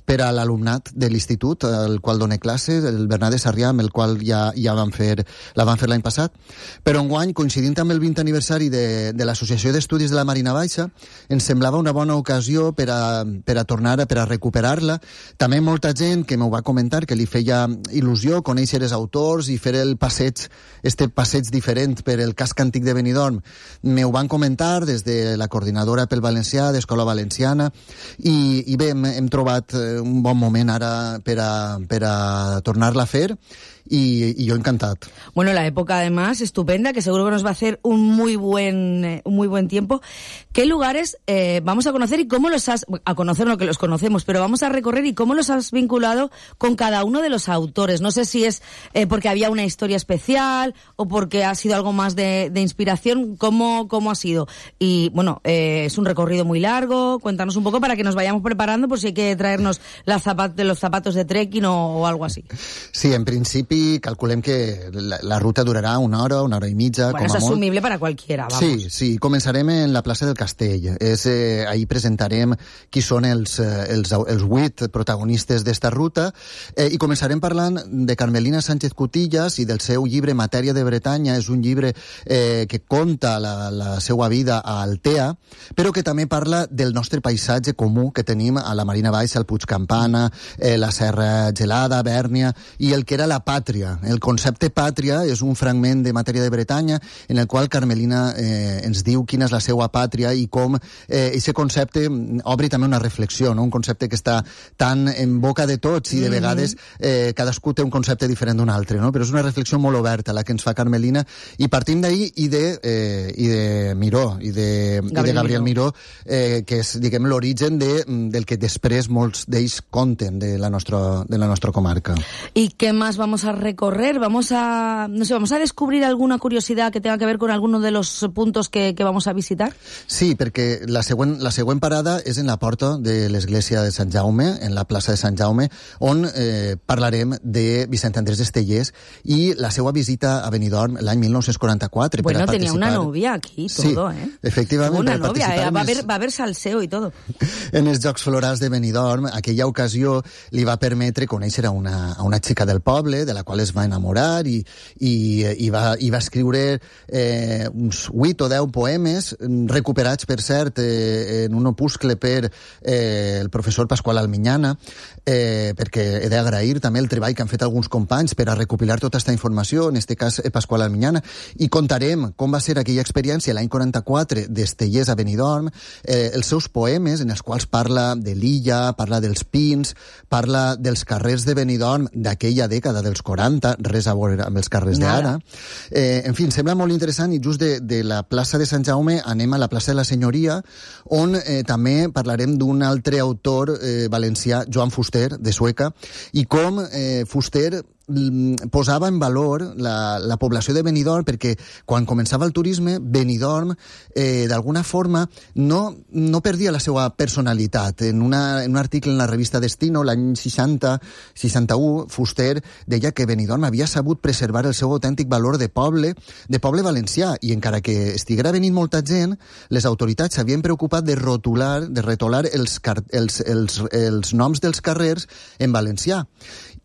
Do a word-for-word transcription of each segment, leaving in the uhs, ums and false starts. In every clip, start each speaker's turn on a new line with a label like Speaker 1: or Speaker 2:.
Speaker 1: per a l'alumnat de l'institut al qual doné classe, el Bernat de Sarrià, amb el qual ja, ja vam fer, la vam fer l'any passat. Però enguany, coincidint amb el vint aniversari de, de l'Associació d'Estudis de la Marina Baixa, ens semblava una bona ocasió per a, per a tornar, per a recuperar-la. També molta gent que m'ho va comentar que li feia il·lusió conèixer els autors i fer el passeig, este passeig diferent per el casc antic de Benidorm. M'ho van comentar des de la coordinadora pel valencià, d'Escola Valenciana, i, i bé, hem, hem trobat un bon moment ara per a, per a tornar-la a fer. Y, y yo encantado.
Speaker 2: Bueno, la época además estupenda, que seguro que nos va a hacer un muy buen eh, un muy buen tiempo. ¿Qué lugares eh, vamos a conocer y cómo los has, a conocer lo que los conocemos, pero vamos a recorrer y cómo los has vinculado con cada uno de los autores? No sé si es eh, porque había una historia especial o porque ha sido algo más de, de inspiración. ¿Cómo, cómo ha sido? Y bueno, eh, es un recorrido muy largo. Cuéntanos un poco para que nos vayamos preparando por si hay que traernos la zapat, los zapatos de trekking o, o algo así.
Speaker 1: Sí, en principi calculem que la, la ruta durarà una hora, una hora i mitja.
Speaker 2: Bueno,
Speaker 1: com
Speaker 2: és
Speaker 1: a
Speaker 2: assumible
Speaker 1: molt.
Speaker 2: Per a qualquiera, vamos.
Speaker 1: Sí, sí, començarem en la plaça del Castell. És, eh, ahí presentarem qui són els, els, els vuit protagonistes d'esta ruta eh, i començarem parlant de Carmelina Sánchez Cutillas i del seu llibre Matèria de Bretanya. És un llibre eh, que conta la, la seva vida a Altea, però que també parla del nostre paisatge comú que tenim a la Marina Baixa, el Puig Campana, eh, la Serra Gelada, Bèrnia, i el que era la pàtria. El concepte pàtria és un fragment de Matèria de Bretanya en el qual Carmelina eh, ens diu quina és la seva pàtria i com eh, aquest concepte obre també una reflexió, no? Un concepte que està tan en boca de tots i de vegades eh, cadascú té un concepte diferent d'un altre, no? Però és una reflexió molt oberta la que ens fa Carmelina i partim d'ahir i de, eh, i de Miró i de Gabriel, i de Gabriel Miró, eh, que és, diguem, l'origen de, del que després molts d'ells conten de la nostra, de la nostra comarca.
Speaker 2: ¿Y qué más vamos a recorrer? Vamos a, no sé, vamos a descubrir alguna curiosidad que tenga que ver con alguno de los puntos que, que vamos a visitar?
Speaker 1: Sí, perquè la següent, la següent parada és en la porta de l'església de Sant Jaume, en la plaça de Sant Jaume, on eh, parlarem de Vicent Andrés Estellés i la seva visita a Benidorm l'any mil nou-cents quaranta-quatre.
Speaker 2: Bueno,
Speaker 1: per
Speaker 2: tenía
Speaker 1: participar...
Speaker 2: una novia aquí, todo,
Speaker 1: sí,
Speaker 2: ¿eh?
Speaker 1: Efectivament.
Speaker 2: Una novia, eh? va, a haber,
Speaker 1: els...
Speaker 2: va a haber salseo y todo.
Speaker 1: En els Jocs Florals de Benidorm, aquella ocasió li va permetre conèixer a una, a una xica del poble, de la qual es va enamorar i, i, i, va, i va escriure eh, uns vuit o deu poemes recuperats, per cert, eh, en un opuscle per eh, el professor Pasqual Almiñana, eh, perquè he d'agrair també el treball que han fet alguns companys per a recopilar tota aquesta informació, en este cas eh, Pasqual Almiñana, i contarem com va ser aquella experiència l'any quaranta-quatre d'Estellés a Benidorm, eh, els seus poemes en els quals parla de l'illa, parla dels pins, parla dels carrers de Benidorm d'aquella dècada dels quaranta, res a veure amb els carrers d'ara. Eh, en fi, em sembla molt interessant i just de, de la plaça de Sant Jaume anem a la plaça de la Senyoria, on eh, també parlarem d'un altre autor eh, valencià, Joan Fuster, de Sueca, i com eh, Fuster posava en valor la, la població de Benidorm, perquè quan començava el turisme, Benidorm eh, d'alguna forma no, no perdia la seva personalitat. En, una, en un article en la revista Destino l'any seixanta seixanta-u, Fuster deia que Benidorm havia sabut preservar el seu autèntic valor de poble, de poble valencià, i encara que estiguera venint molta gent, les autoritats s'havien preocupat de rotular, de retolar els, els, els, els noms dels carrers en valencià.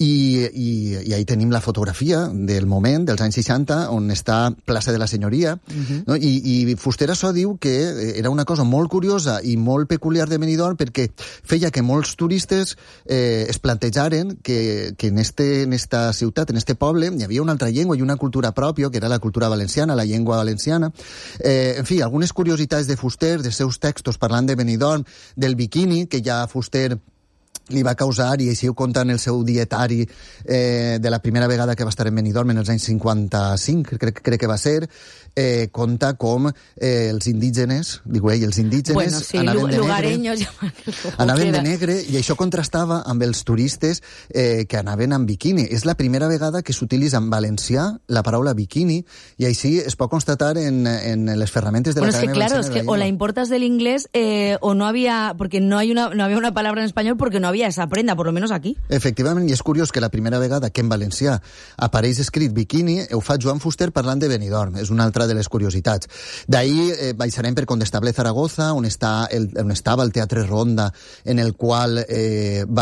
Speaker 1: I, i, i ahí tenim la fotografia del moment, dels anys seixanta, on està plaça de la Senyoria, uh-huh. no? I, i Fuster això diu que era una cosa molt curiosa i molt peculiar de Benidorm perquè feia que molts turistes eh, es plantejaren que, que en, este, en esta ciutat, en este poble, hi havia una altra llengua i una cultura pròpia, que era la cultura valenciana, la llengua valenciana. Eh, en fi, algunes curiositats de Fuster, dels seus textos parlant de Benidorm, del biquini, que ja Fuster li va causar, i així ho conta en el seu dietari eh, de la primera vegada que va estar en Benidorm en els anys cinquanta-cinc, crec, crec que va ser, eh, conta com eh, els indígenes, diu ell, els indígenes
Speaker 2: bueno, sí,
Speaker 1: anaven de
Speaker 2: lugareños,
Speaker 1: negre, anaven de negre, i això contrastava amb els turistes eh, que anaven amb biquini. És la primera vegada que s'utilitza en valencià la paraula biquini, i així es pot constatar en, en les ferramentes de
Speaker 2: bueno,
Speaker 1: la
Speaker 2: Academia
Speaker 1: Valenciana.
Speaker 2: Claro, es que o la importas del inglés eh, o no había, porque no hay una, no había una palabra en español porque no había esa prenda, por lo menos aquí.
Speaker 1: Efectivament, i és curiós que la primera vegada que en valencià apareix escrit biquini ho fa Joan Fuster parlant de Benidorm, és una altra de les curiositats. D'ahir eh, baixarem per Condestable Zaragoza, on, està el, on estava el Teatre Ronda, en el qual eh, va